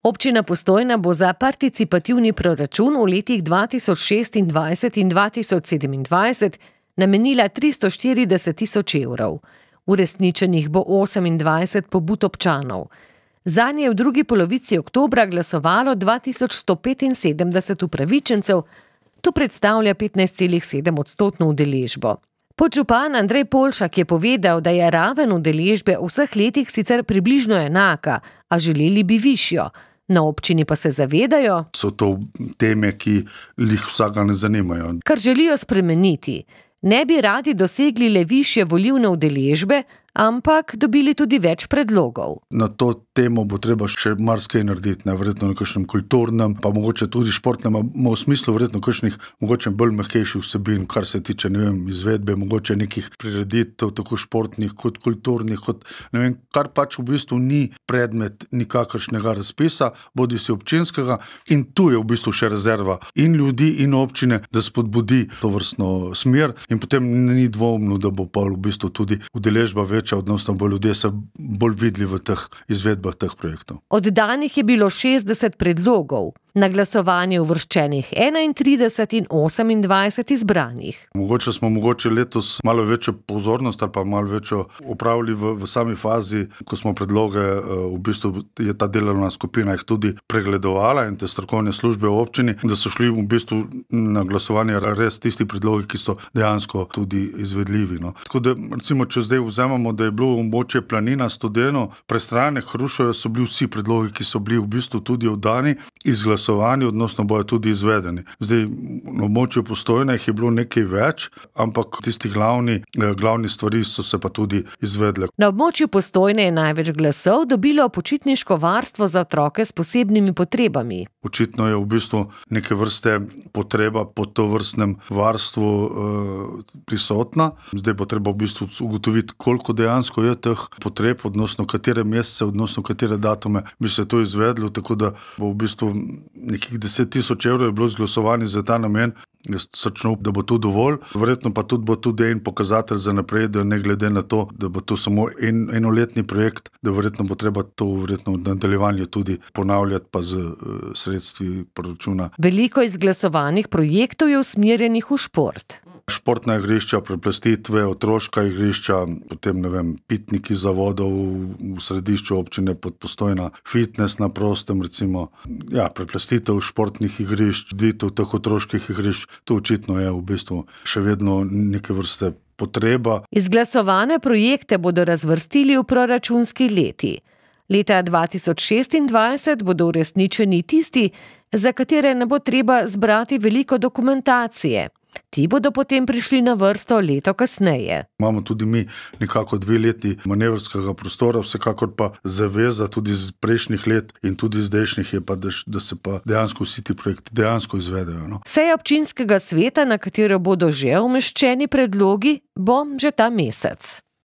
Občina Postojna bo za participativni proračun v letih 2026 in 2027 namenila 340 000 evrov. Uresničenih bo 28 pobud občanov. Zanje je v drugi polovici oktobra glasovalo 2175 upravičencev, to predstavlja 15,7% udeležbo. Podžupan Andrej Polšak je povedal, da je raven udeležbe v vseh letih sicer približno enaka, a želeli bi višjo. Na občini pa se zavedajo, so to teme, ki jih vsega ne zanimajo. Kar želijo spremeniti. Ne bi radi dosegli le višje volilne udeležbe, ampak dobili tudi več predlogov. Na to temo bo treba še marsikaj narediti, verjetno na kakšnem kulturnem, pa mogoče tudi športnem, v smislu verjetno kakšnih mogoče bolj mehkejših vsebin, kar se tiče, izvedbe, mogoče nekih prireditev, tako športnih kot kulturnih, kot kar pač v bistvu ni predmet nikakršnega razpisa, bodisi občinskega, in tu je v bistvu še rezerva in ljudi in občine, da spodbudi to vrstno smer, in potem ni dvomno, da bo pa v bistvu tudi udeležba večja, odnosno bo ljudje se bolj videli v teh izvedbah teh projektov. Oddanih je bilo 60 predlogov, na glasovanje uvrščenih 31 in 28 izbranih. Mogoče smo letos malo večjo pozornost ali pa malo večjo opravili v sami fazi, ko smo predloge, v bistvu je ta delovna skupina jih tudi pregledovala in te strokovne službe v občini, da so šli v bistvu na glasovanje res tisti predlogi, ki so dejansko tudi izvedljivi. Tako da, recimo, če zdaj vzamemo, da je bilo območje Planina, Studeno, Prestrane, Hrušovje, so bili vsi predlogi, ki so bili v bistvu tudi oddani, izglasovani, odnosno bojo tudi izvedeni. Zdaj, na območju Postojne jih je bilo nekaj več, ampak tisti glavni stvari so se pa tudi izvedle. Na območju Postojne je največ glasov dobilo počitniško varstvo za otroke s posebnimi potrebami. Očitno je v bistvu neke vrste potreba po tovrstnem varstvu prisotna. Zdaj bo treba v bistvu ugotoviti, koliko dejansko je teh potreb, odnosno katere mesece, odnosno katere datume bi se to izvedlo, tako da bo v bistvu nekih 10 000 evrov je bilo izglasovani za ta namen. Jaz računam, da bo to dovolj. Verjetno pa tudi bo tudi en pokazatelj za naprej, da ne glede na to, da bo to samo enoletni projekt, da verjetno bo treba to verjetno v nadaljevanju tudi ponavljati pa z sredstvi proračuna. Veliko izglasovanih projektov je usmerjenih v šport. Športna igrišča, preplastitve, otroška igrišča, potem, pitniki zavodov v središču občine Postojna, fitness na prostem, recimo, preplastitev športnih igrišč, ditev teh otroških igrišč, to očitno je v bistvu še vedno neke vrste potreba. Izglasovane projekte bodo razvrstili v proračunski leti. Leta 2026 bodo uresničeni tisti, za katere ne bo treba zbrati veliko dokumentacije. Ti bodo potem prišli na vrsto leto kasneje. Imamo tudi mi nekako 2 leti manevrskega prostora, vsekakor pa zaveza tudi iz prejšnjih let in tudi zdajšnjih je pa, da se pa dejansko vsi ti projekti dejansko izvedejo. Seja občinskega sveta, na katero bodo že umeščeni predlogi, bo že ta mesec.